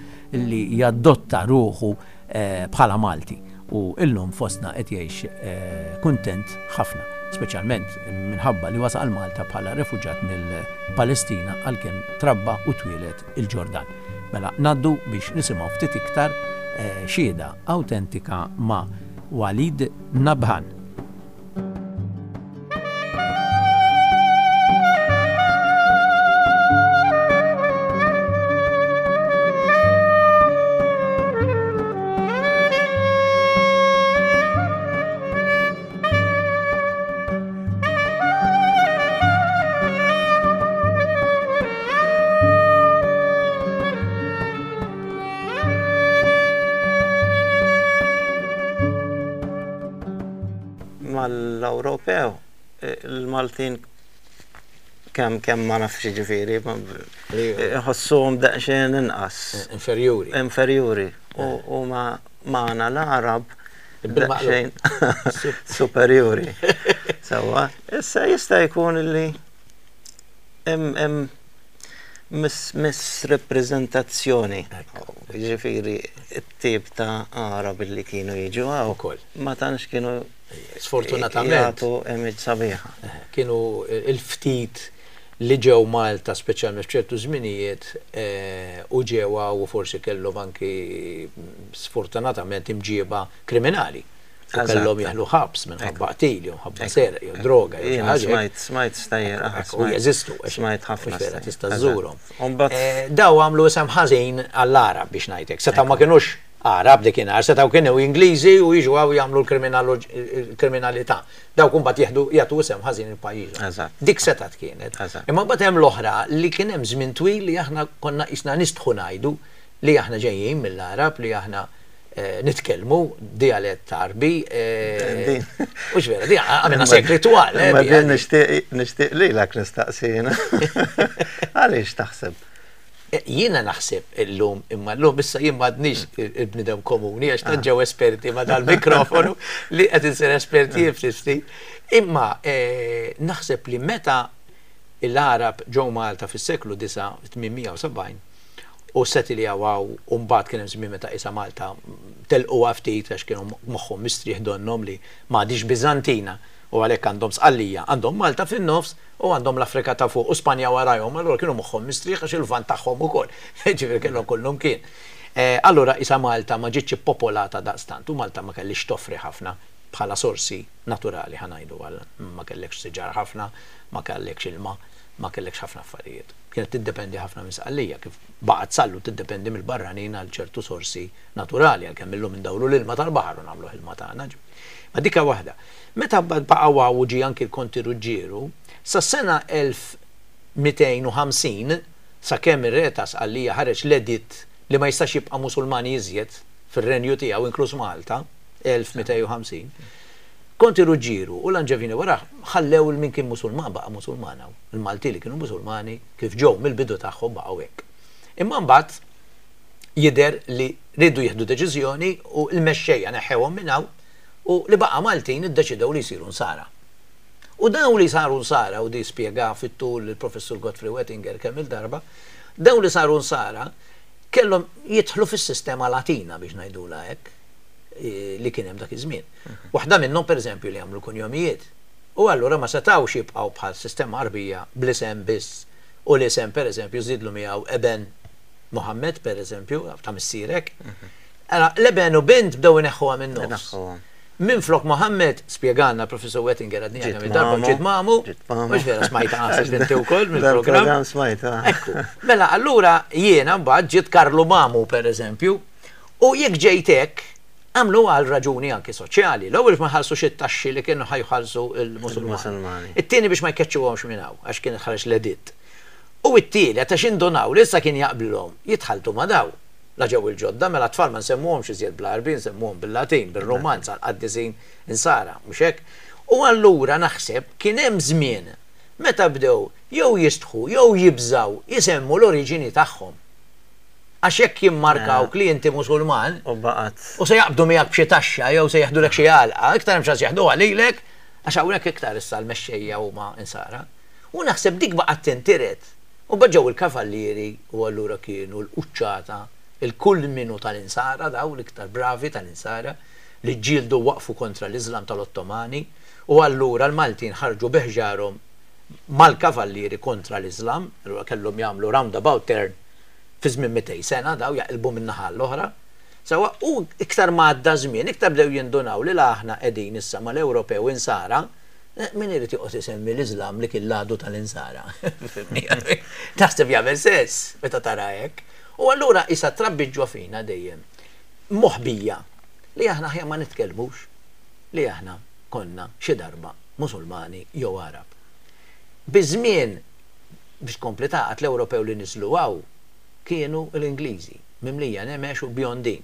li jadotta ruħu eh, bħala Malti u illum fostna qed jgħix eh, kuntent ħafna, speċjalment minħabba li wasal Malta bħala refuġat mill-Palestina għalkemm trabba u twieled il-Ġordan. Mela ngħaddu biex nisimgħu ftit iktar xhieda awtentika ma' Walid Nabhan. mal-Ewropew, il-Maltin kemm kemm ma nafx jiġifieri, iħossuhom daqsxejn inqas. Inferjuri. Inferjuri. U magħna l-Għarab daqsxejn superjuri. Sewwa, issa jista' jkun li hemm misrappreżentazzjoni. Jiġifieri t-tip ta' Għarab li kienu jiġu hawn ma tantx kienu Sfortunatament. Jagħtu image sabiħa. Kienu il-ftit li ġew Malta speċjalment f'ċertu żminijiet u ġew hawn u forsi kellhom anki sfortunatament imġieba kriminali. U kellhom jeħlu ħabs minħabba qtil jew minħabba serq jew droga jew xi ħaġa. Smajt, smajt stejjer, U jeżistu. Smajt ħafna. Vera tista' żżurhom. Daw għamlu isem ħażin għall-Għarab biex ngħidlek. Setgħu ma kinux Għarab dikinhar setgħu kienu Ingliżi u jiġu hawn jagħmlu l-kriminalità. Dawk imbagħad jieħdu jagħtu isem ħażin lil pajjiżhom. Dik setgħet kienet. Imma mbagħad hemm l-oħra li kien hemm żmien twil li aħna konna qisna nistħu ngħidu li aħna ġejjin mill-Għarab, li aħna nitkellmu dialett Għarbi. Mhux vera, di għamilna sekli twal. Imma din nixtieq lilek nistaqsi jiena. Għaliex taħseb? Jiena naħseb illum, imma llum issa jien m'għadnix il-bniedem komuni għax tant ġew esperti ma' dal-mikrofonu li qed insir espert jien ftit ftit. Imma naħseb li meta l-Għarab ġew Malta fis-seklu 9, 870, u ssetiljaw hawn u mbagħad kien hemm żmien meta qisha Malta telquha ftit għax kienu moħħhom mistrieħ donnhom li m'għadhiex Biżantina u għalhekk għandhom Sqallija, għandhom Malta fin-nofs u għandhom l-Afrika ta' fuq u Spanja warajhom, allura kienu moħħhom mistrieħ għax il-Lvant tagħhom ukoll, jiġifieri kellhom kullumkien. Allura qisha Malta ma ġietx ippopolata daqstant u Malta ma kellhiex toffri ħafna bħala sorsi naturali ħa ngħidu għal ma kellekx siġar ħafna, ma kellekx ilma, ma kellekx ħafna affarijiet. Kienet tiddependi ħafna minn Sqallija kif baqgħet sal-lum tiddependi mill-barranin għal ċertu sorsi naturali għalkemm illum indawru l-ilma tal-baħar u nagħmluh ilma tagħna. Ma dik waħda. Meta mbagħad baqgħu hawn u ġie anki l-Konti Ruġġieru, sas-sena 1250, sakemm ir-Re ta' Sqallija ħareġ l-editt li ma jistax jibqa' Musulmani iżjed fir-renju tiegħu, inkluż Malta, 1250, Konti Ruġġieru u l-Anġevini warah ħallew 'il min kien Musulman baqa' Musulman hawn. Il-Maltin li kienu Musulmani kif ġew mill-bidu tagħhom baqgħu hekk. Imma mbagħad jidher li riedu jieħdu deċiżjoni u l-mexxejja neħħewhom minn hawn u li baqa' Maltin iddeċidew li jsiru Nsara. U dawn li saru Nsara, u di spjegaha fit-tul il-Professur Godfrey Wettinger kemm-il darba, dawn li saru Nsara kellhom jidħlu fis-sistema Latina biex ngħidulha hekk li kien hemm dak iż-żmien. Waħda minnhom pereżempju li jagħmlu kunjomijiet. U allura ma setgħux jibqgħu bħal sistema Għarbija bl-isem biss u l-isem pereżempju żidlu miegħu Eben Muhammad pereżempju ta' missierek. Ara, l-eben u bint bdew ineħħuha min-nofs. Minflok Mohammed, spjegalna l-Professur Wettinger għadniha kemm il-darba, ġiet mamu, mhux vera smajtha naħseb inti wkoll mill-programm. Smajtha. Ekku. Mela allura jiena mbagħad ġiet Karlu Mamu pereżempju, u jekk ġejt hekk, għamlu għal raġuni anki soċjali. L-ewwel biex ma jħallsux it-taxxi li kienu ħa jħallsu l-Musulmani. It-tieni biex ma jkeċċuhomx minn hawn, għax kien ħareġ l-editt. U t-tielet għax indunaw li issa kien jaqblilhom jitħalltu ma' dawn. La ġew il-ġodda, mela t-tfal ma nsemmuhomx iżjed bl-Għarbi, nsemmuhom bil-Latin, bir-Rumanz għall-qaddisin Insara, mhux hekk? U allura naħseb kien hemm żmien meta bdew jew jistħu jew jibżgħu jsemmu l-oriġini tagħhom. Għax jekk jimmarkawk li inti Musulman u se jaqbdu miegħek b'xi taxxa jew se jeħdulek xi għalqa, iktar hemm ċans jeħduha lilek għax hawnhekk iktar issa l-mexxejja huma Insara. U naħseb dik baqgħet tintiret. U mbagħad ġew il-kavallieri u allura kienu l-quċċata, il-kull min hu tal-Insara dawn, l-iktar bravi tal-Insara, li ġġieldu u waqfu kontra l-Iżlam tal-Ottomani u allura l-Maltin ħarġu bi ħġarhom mal-kavallieri kontra l-Iżlam, allura kellhom jagħmlu roundabout turn fi żmien 200 sena dawn jaqilbu minn naħa għall-oħra. Sewwa, u iktar ma għadda żmien iktar bdew jindunaw li la aħna qegħdin issa mal-Ewropew Insara, Min irid joqgħod isemmi l-Iżlam li kien l-għadu tal-Insara? Fimni? Taħseb jagħmel sens meta tara hekk. U allura qisha trabbiet ġo fina dejjem moħbija li aħna aħjar ma nitkellmux li aħna konna xi darba Musulmani jew Għarab. Biż-żmien biex tkompli tagħqad l-Ewropew li niżlu hawn kienu l-Ingliżi, mimlija nemex u bjondin.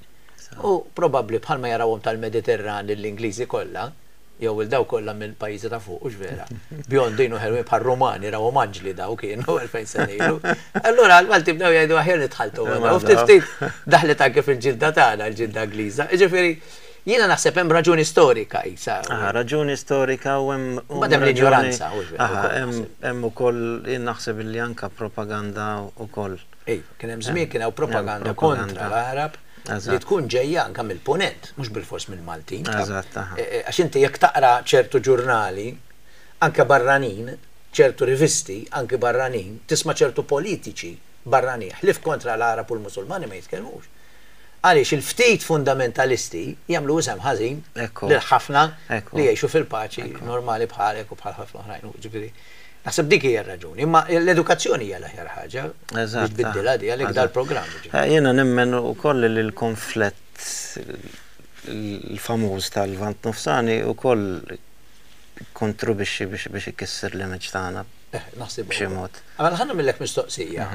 U probabbli bħalma jarawhom tal-Mediterran lill-Ingliżi kollha, jew 'il dawk kollha mill-pajjiżi ta' fuq, hux vera? Bjondin u ħelwin bħal Rumani, rawhom anġli daw kienu 2000 sena ilu. Allura l-Malti bdew jgħidu aħjar nitħalltu ma' daw. Ftit ftit daħlet anke fil-ġilda tagħna l-ġilda Ingliża. Jiġifieri jiena naħseb hemm raġuni storika qisha. Aha, raġuni storika u hemm. Mbagħad hemm l-injoranza, hux vera? Aha, hemm ukoll jien naħseb illi anke propaganda wkoll. Iva, kien hemm żmien kien hawn propaganda kontra l-Għarab. Li tkun ġejja anke mill-Punent, mhux bilfors mill-Maltin. Eżatt, aha. Għax inti jekk taqra ċertu ġurnali, anke barranin, ċertu rivisti, anki barranin, tisma' ċertu politiċi barranin, ħlief kontra l-Għarab u l-Musulmani ma jitkellmux. Għaliex il-ftit fundamentalisti jagħmlu isem ħażin lil ħafna li jgħixu fil-paċi normali bħalek u bħal ħafna oħrajn. Ġifieri, Naħseb dik hija r-raġuni, imma l-edukazzjoni hija l-aħjar ħaġa biex tbiddilha di għalhekk dal-programm. Jiena nemmen ukoll li l-konflett l-famuż tal-Lvant Nofsani wkoll ikkontribwixxi biex ikisser l-image tagħna. Naħseb b'xi mod. Mela ħa nagħmillek mistoqsija.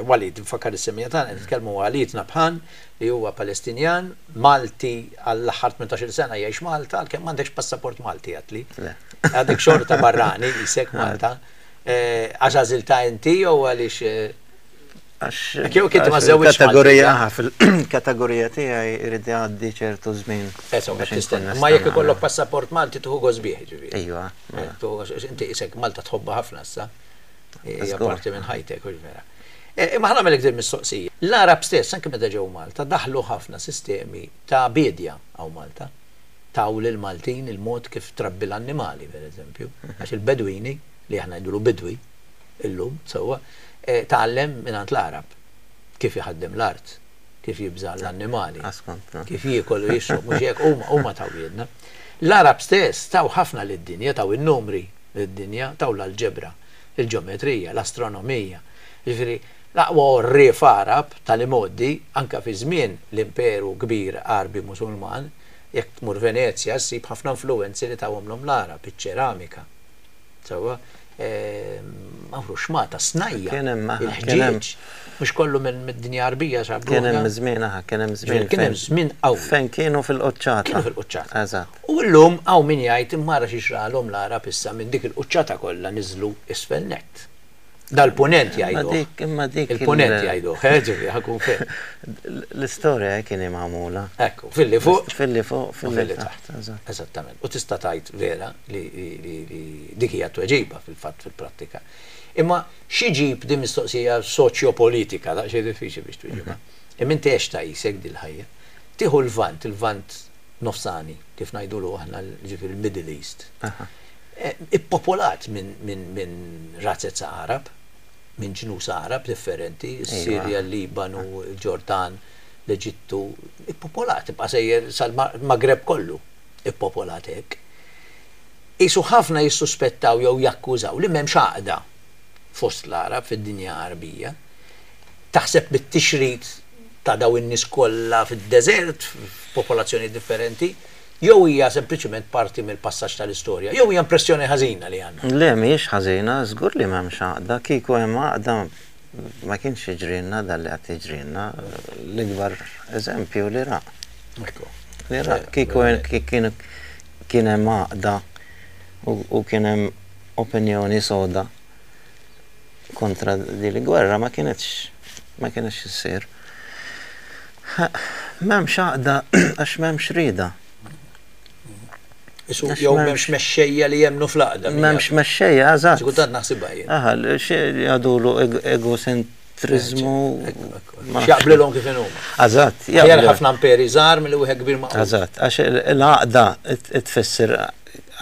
Walid, nfakkar is-semmiegħa tagħna qed nitkellmu ma' Walid Nabhan li huwa Palestinjan, Malti għall-aħħar 18-il sena jgħix Malta, għalkemm m'għandekx passaport Malti għedtli. Le. Għadek xorta barrani qisek Malta. Għax għażiltha inti jew għaliex Għax Jew kien ma żewġ kategorija fil-kategorija tiegħi irid jgħaddi ċertu żmien. Insomma, tistenna. Ma jekk ikollok passaport Malti tieħu gost bih, ġifieri. Iva. Mela. Inti qisek Malta tħobbha ħafna issa. Hija parti minn ħajtek, hux vera. Imma ħa nagħmellek din mistoqsija. L-Għarab stess, anke meta ġew Malta, daħlu ħafna sistemi ta' biedja hawn Malta. Taw lill-Maltin il-mod kif trabbi l-annimali, per eżempju. Għax il-Bedwini, li aħna ngħidulu bidwi illum, sewwa, tgħallem mingħand l-Għarab kif iħaddem l-art, kif jibża' l-annimali, kif jiekol u jixrob, mhux hekk? Huma, huma taw lilna. L-Għarab stess taw ħafna lid-dinja, taw in-numri lid-dinja, taw l-alġebra, il-ġeometrija, l-astronomija. Jiġifieri, l-aqwa għorrief Għarab tal-imgħoddi, anke fi żmien l-imperu kbir Għarbi Musulman, jekk tmur Venezja ssib ħafna influwenzi li tawhomlhom l-Għarab, iċ-ċeramika, sewwa, Mawru xmata, snajja, il-ħġieġ, mhux kollu minn mid-dinja Għarbija sab Kien hemm żmien, aha, kien hemm żmien. Kien hemm żmien qawwi. Fejn kienu fil-quċċata. Kienu fil-quċċata. Eżatt. U llum hawn min jgħid imma ara xi ġralhom l-Għarab issa minn dik il-quċċata kollha niżlu isfel nett. Dal-punent jgħiduh. Imma dik. Il-punent jgħiduh, eh, ġifieri, ħa nkun fair. L-istorja hekk inhi magħmula. Ekku, filli fuq. Filli fuq, filli taħt. Eżattament. U tista' tgħid vera li dik hija t-tweġiba fil-fatt fil-prattika. Imma x'iġib din mistoqsija soċjopolitika, daqsxejn diffiċli biex twieġibha. Imma inti għextha qisek dil-ħajja. Tieħu l-Lvant, il-Lvant Nofsani, kif ngħidulu aħna, ġifieri l-Middle East. Ippopolat minn razez Għarab, minn ġnus Għarab differenti, is-Sirja, il-Libanu, il-Ġordan, l-Eġittu, ippopolat, ibqa' sejjer sal-Magreb kollu ippopolat hekk. Qisu ħafna jissuspettaw jew jakkużaw li m'hemmx għaqda fost l-Għarab fid-dinja Għarbija. Taħseb bit-tixrid ta' dawn in-nies kollha fid-deżert, f'popolazzjonijiet differenti, Jew hija sempliċement parti mill-passaġġ tal-istorja, jew hija impressjoni ħażina li għandna? Le, mhijiex ħażina, żgur li m'hemmx għaqda. Kieku hemm għaqda ma kienx jiġrilna dan li qed jiġrilna. L-ikbar eżempju l-Iraq. Ekku. L-Iraq kieku kien hemm għaqda u kien hemm opinjoni soda kontra din il-gwerra ma kinitx ma kinitx issir. M'hemmx għaqda għax m'hemmx rieda. Isu jew m'hemmx mexxejja li jemmnu fl-għaqda. M'hemmx mexxejja, eżatt. Xi kultant naħsibha jien. Aha, jgħadulu egocentriżmu. X'jaqblilhom kif inhuma. Eżatt. Aħjar ħafna imperi żgħar milli wieħed kbir magħqud. Eżatt, għax l-għaqda tfisser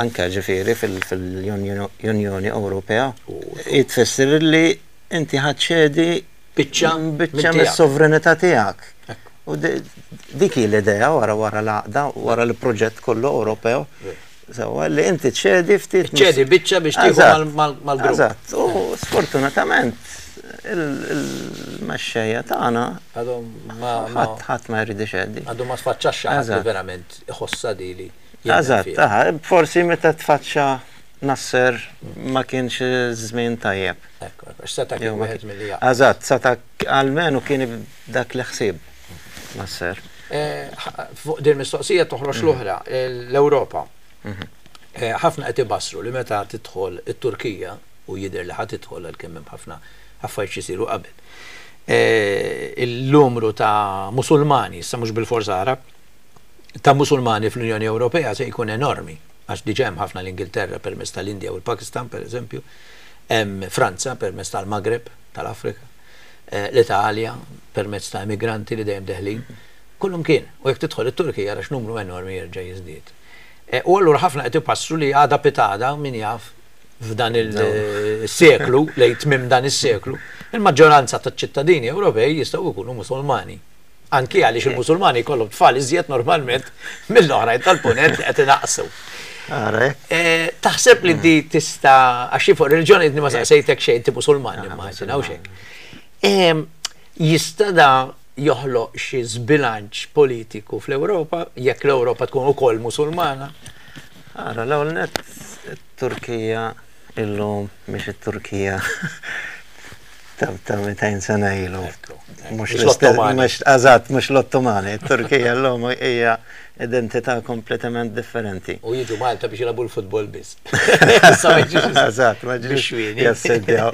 anke ġifieri fil-Unjoni Ewropea, tfisser li inti ħa ċċedi biċċa biċċa mis-sovranità tiegħek. U dik hi l-idea wara wara l-għaqda, wara l-proġett kollu Ewropew. Sewwa li inti ċedi ftit. Ċedi biċċa biex tieħu mal-grupp. Eżatt. U sfortunatament il-mexxejja tagħna għadhom ma ħadd ma jrid ixeddi. Għadhom ma tfaċċax xi ħadd li verament iħossha di li. Eżatt, forsi meta tfaċċa Nasser ma kienx żmien tajjeb. Ekku, ekku, seta' kien wieħed milli jaqbel. Eżatt, seta' almenu kien dak li ħsieb Nasser. Fuq din mistoqsija toħroġ l-oħra, l-Ewropa. Ħafna qed ibassru li meta tidħol it-Turkija, u jidher li ħa tidħol għalkemm hemm ħafna affarijiet x'isiru qabel, il-numru ta' Musulmani, issa mhux bilfors Għarab, ta' Musulmani fl-Unjoni Ewropea se jkun enormi, għax diġà hemm ħafna l-Ingilterra permezz tal-Indja u l-Pakistan, pereżempju, hemm Franza permezz tal-Maghreb, tal-Afrika, l-Italja permezz ta' immigranti li dejjem deħlin, kullumkien. U jekk tidħol it-Turkija ara x'numru enormi jerġa' jiżdied. U allura ħafna qed ipassru li għada pitgħada, min jaf, f'dan il-seklu, lejn tmiem dan is-seklu, il-maġġoranza taċ-ċittadini Ewropej jistgħu jkunu Musulmani. Anki għaliex il-Musulmani jkollhom tfal iżjed normalment mill-oħrajn tal-Punent li qed inaqqsu. Taħseb li di tista' għax fuq reliġjoni ma saqsejtek xejn inti Musulman immaġina u xejn. Jista' da joħloq xi żbilanċ politiku fl-Ewropa jekk l-Ewropa tkun ukoll Musulmana? Ara, l-ewwel nett it-Turkija illum mhix it-Turkija ta' 200 sena ilu. Mhux l-Ottomani. Eżatt, mhux l-Ottomani. It-Turkija llum hija identità kompletament differenti. U jiġu Malta biex jilagħbu l-futbol biss. Eżatt, ma ġiġ jassedjaw.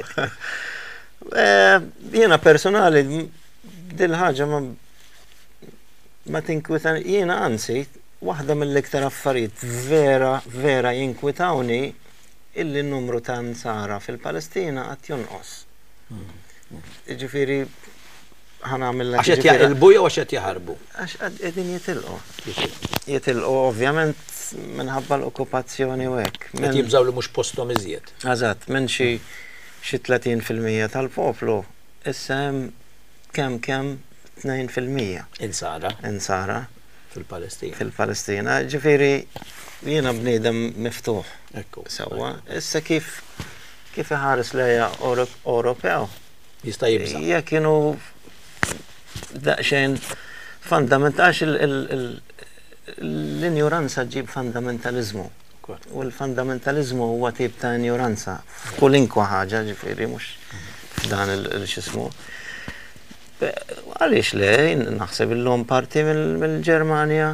Jiena personali dil-ħaġa ma ma tinkwita jiena anzi waħda mill-iktar affarijiet vera vera jinkwitawni illi n-numru ta' nsara fil-Palestina qed jonqos. Ġifieri ħa nagħmel Għax qed jaqilbu jew għax qed jaħarbu? Għax qegħdin jitilqu. Jitilqu ovvjament minħabba l-okkupazzjoni u hekk. Qed jibżgħu li mhux posthom iżjed. Eżatt, minn xi xi 30% tal-poplu issa hemm kemm kemm 2%. Insara. Insara. Fil-Palestina. Fil-Palestina. Ġifieri jiena bniedem miftuħ. Ekku. Sewwa. Issa kif kif iħares lejha Ewropew. Jista' jibża'. Jekk kienu daqsxejn fundament għax l-injuranza ġġib fundamentaliżmu. U l-fundamentaliżmu huwa tip ta' injuranza f'kulinkwa ħaġa, ġifieri mhux f'dan il-xismu. Għaliex le, naħseb illum parti mill-Ġermanja.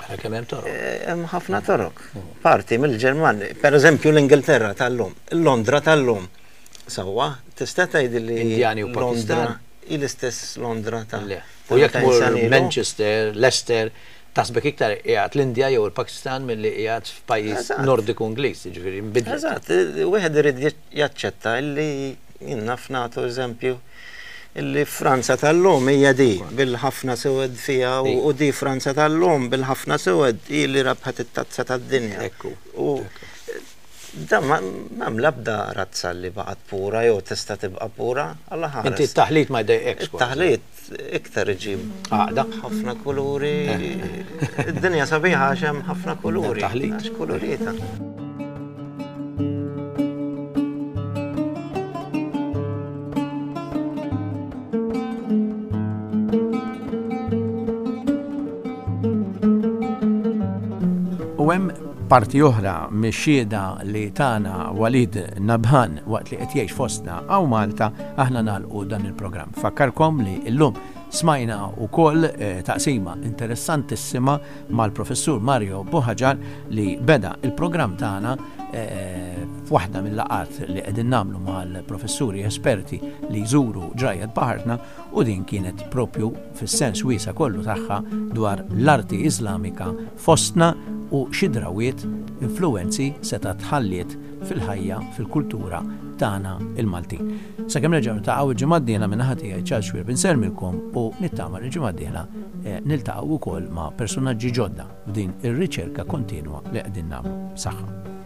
Ara kemm hemm torok. Eh, hemm ħafna torok. Parti mill-Ġermanja, per eżempju l-Ingilterra tal-lum, Londra tal-lum. Sewwa, tista' tgħid li Indjani u Pakistan. Hi l-istess Londra ta' Le. U jekk tmur Manchester, Leicester, taħsbek iktar qiegħed l-Indja jew il-Pakistan milli qiegħed f'pajjiż Nordiku Ingliż, jiġifieri nbidlet. Eżatt, wieħed irid jaċċetta illi jien naf nagħtu eżempju illi Franza tal-lum hija di bil-ħafna sewed fiha u di Franza tal-lum bil-ħafna sewed hi li rebħet it-tazza tad-dinja. Ekku. U Dan m'hemm l-ebda razza li baqgħet pura jew tista' tibqa' pura, Alla ħares. Inti t-taħlit ma jdejqekx kważi. It-taħlit iktar iġib għaqda. Ħafna kuluri. Id-dinja sabiħa għax hemm ħafna kuluri. Taħlit. Għax kulurita. U hemm Parti oħra mix-xhieda li tana Walid Nabhan waqt li qed jgħix fostna hawn Malta, aħna nagħlqu dan il-programm. Nfakkarkom li llum smajna wkoll taqsima interessantissima mal-Professur Mario Buhagiar li beda il-programm tagħna f'waħda mill-laqgħat li qegħdin nagħmlu mal-professuri esperti li jżuru ġrajjet baħartna u din kienet propju fis-sens wiesa' kollu tagħha dwar l-arti Iżlamika fostna u xi drawwiet, influwenzi setgħet ħalliet fil-ħajja, fil-kultura tagħna l-Maltin. Sakemm nerġgħu niltaqgħu il-ġimgħa d-dieħla min-naħa tiegħi Charles Xuereb insellmilkom u nittama li l-ġimgħa d-dieħla niltaqgħu wkoll ma' persunaġġi ġodda f'din ir-riċerka kontinwa li qegħdin nagħmlu. Saħħa.